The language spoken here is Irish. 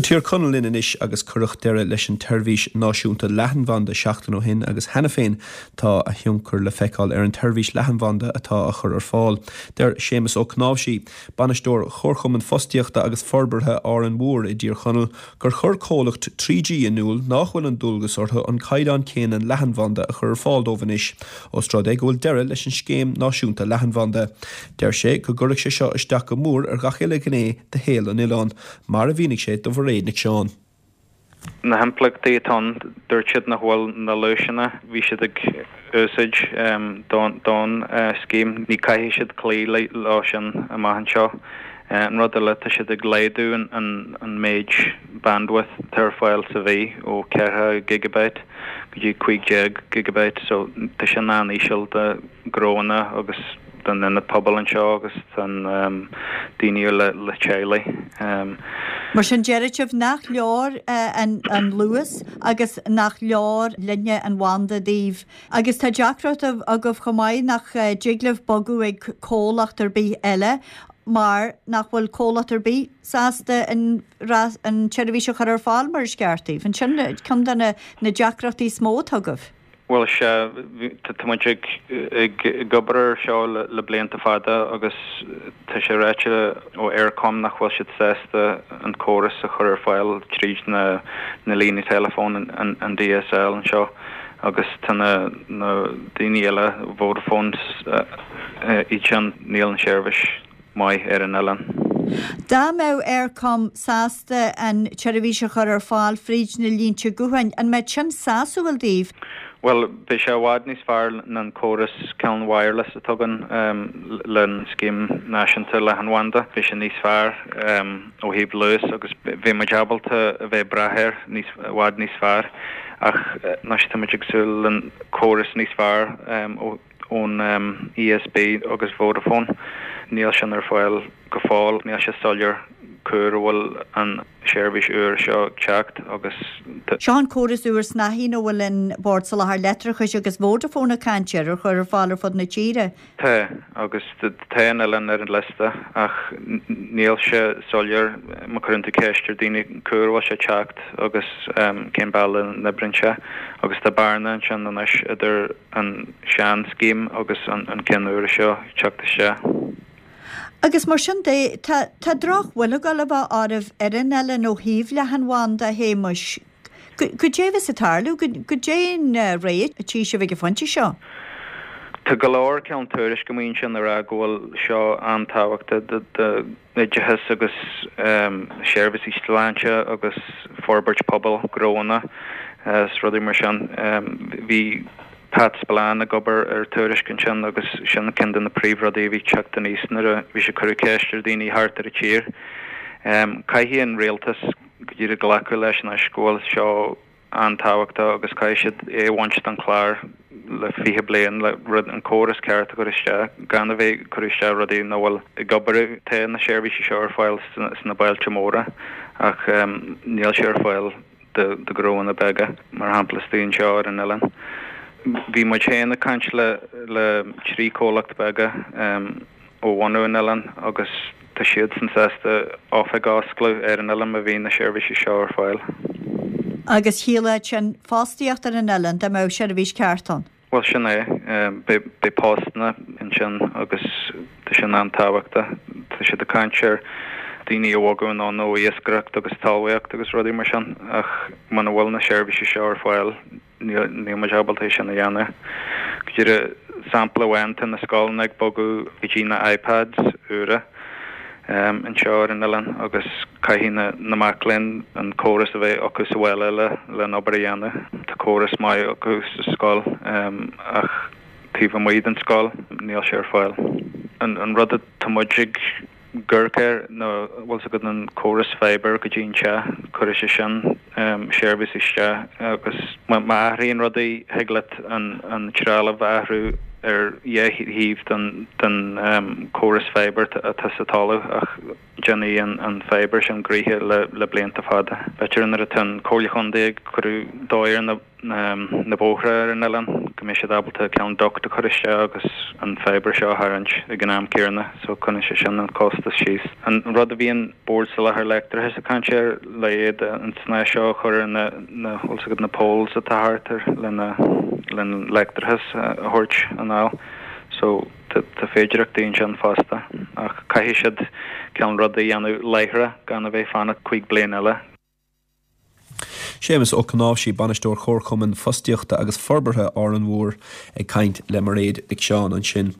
Tír Chonaill linn anois agus cuireadh deireadh leis an tseirbhís náisiúnta leathanbhanda seachtain ó shin agus cheana féin tá a thionchar le feiceáil ar an tseirbhís leathanbhanda atá á chur ar fáil. Deir Séamus Ó Cnáimhsí, Bainisteoir Chomharchumann Fostaíochta agus Forbartha Árainn Mhór i dTír Chonaill, gur chuir comhlacht 3G in iúl nách bhfuil an dualgas orthu an caighdeán céanna leathanbhanda a chur ar fáil dóibh anois, ós rud é go bhfuil deireadh leis an scéim náisiúnta leathanbhanda. Deir sé go gcuirfidh sé seo isteach go mór ar ghach uile ghné de shaol an oileáin, mar a mhínigh sé do Mhairéad Nic Seáin. Na himpleachtaí atá ann, dúirt siad nach bhfuil na luaiseanna a bhí siad ag úsáid don scéim, ní caithfidh siad cloí leo sin amach anseo. An rud eile, tá siad ag laghdú an méid bandwidth atá ar fáil sa mhí ó 4 gigabyte go dtí 15 gigabyte so tá sin an-íseal do ghnóanna agus don ionad pobail anseo agus don daoine le teaghlaigh. Mar sin deir sibh nach leor an luas agus nach leor líne an bhanda daoibh. Agus tá deacracht agaibh chomh maith nach dtig libh bogadh ag comhlacht ar bith eile mar nach bhfuil comhlacht ar bith sásta an an tseirbhís a chur ar fáil mar is ceart daoibh. An sin ceann de na deacrachtaí is mó atá agaibh? Bhuel, sea, tá muid ag ag obair ar seo le blianta fada agus tá sé ráite ó Eircom nach bhfuil siad sásta an córas a chur ar fáil tríd na na líní teileafóin, an DSL anseo agus tá na na daoine eile, Vodafone, iad sin, níl an seirbhís maith ar an oileán. Dá mbeadh Eircom sásta an tseirbhís a chur ar fáil fríd na línte gutháin, an mbeadh sin sásúil daoibh? Bhuel, beidh sé i bhfad níos fearr ná an córas ceann wireless atá againn le scéim náisiúnta leathanbhanda. Beidh sé níos fearr ó thaobh luas agus bheidh muid ábalta a bheith ag brath air níos, i bhfad níos fearr. Ach anois tá muid ag súil le córas níos fearr ó. ón ESB agus Vodafone. Níl sin ar fáil go fóill. Níl sé soiléir cá huair a bhfuil an seirbhís úr seo ag teacht agus. Seo an córas úr snáithín a bhfuil an Bord Soláthair Leictreachais agus Vodafone ag caint air a chur ar fáil ar fud na tíre. Tá, agus tá an oileán ar an liosta ach níl sé soiléir má cuireann tú ceist ar daoine cá huair a bhfuil sé ag teacht agus cén bealach a n-oibríonn sé agus tá bearna ansin anois idir an sean scéim agus an ceann úr seo ag teacht isteach. Agus mar sin de, tá tá droch-bhuille ag gabháil a bheith oraibh ar an oileán ó thaobh leathanbhanda, a Shéamuis. Goidé a bheas ag tarlú? Goidé an réidh a tchí sibh ag an phointe seo? Tá go leor ceann tuairisc amuigh ansin ag rá go bhfuil seo an-tábhachtach do oideachas agus seirbhísí sláinte agus forbairt pobail, gnóanna is rudaí mar sin. Bhí Pat Spillane ag obair ar tuairisc ansin agus sin ceann de na príomhrudaí a bhí ag teacht aníos nuair a bhí sé ag cur ceist ar dhaoine thart ar an tír. Caithfidh an rialtas go díreach glacadh leis anois go bhfuil seo an-tábhachtach agus caithfidh siad é a bhaint den chlár le 20 bliain le rud, an córas ceart a chur isteach, gan a bheith ag cur isteach rudaí nach bhfuil ag obair. Tá na seirbhísí seo ar fáil sna bailte móra ach níl sé ar fáil do ghnóanna beaga, mar shampla istigh anseo ar an oileán. Bhí muid féin ag caint le le 3 comhlacht beaga ó bhunadh an oileáin agus tá siadsan sásta oifig a oscladh ar an oileán má bhíonn na seirbhísí seo ar fáil. Agus chiallódh sin fostaíocht ar an oileán dá mbeadh seirbhís ceart ann? Bhuel, sin é. Beidh postanna ansin agus tá sin an-tábhachtach. Tá siad ag caint ar daoine a bhogadh anonn ó iascaireacht agus talmhaíocht agus rudaí mar sin ach muna bhfuil na seirbhísí seo ar fáil, Níl muid ábalta é sin a dhéanamh. Go díreach sampla amháin, tá na scoileanna ag bogadh go dtí na iPads úra anseo ar an oileán agus caithfidh na mac léinn an córas a bheith acu sa bhaile le le an obair a dhéanamh. Tá córas maith acu sa scoil ach taobh amuigh den scoil níl sé ar fáil. An rud atá muid ag amharc air ná bhfuil 's agat an córas fibre go dtí an teach, cuirfidh sé sin seirbhís isteach agus má athraíonn rudaí thig leat an trealamh a athrú ar dhá thaobh den córas fibre atá sa talamh ach déanfaidh an fibre sin gnoithe le blianta fada. B'fhéidir nuair atá an Comhairle Chontae ag cur dóigh ar na na bóithre ar an oileán. go mbeidh siad ábalta cineál duct a chur isteach agus an fibre seo a tharraingt ag an am céanna so coinneoidh sé sin an costas síos. An rud a bhíonn Bord Soláthair Leictreachais ag caint air le iad an snáth seo a chur ar na na bhfuil 's agat na poles atá thart ar lena len leictreachas a thabhairt anall so tá féidireachtaí ansin fosta ach caithfidh siad cineál rud a dhéanamh láithreach gan a bheith fanacht 5 bliain eile. Séamus Ó Cnáimhsí, Bainisteoir Chomharchumann Fostaíochta agus Forbartha Árainn Mhór ag caint le Mairéad Mhic Seáin ansin.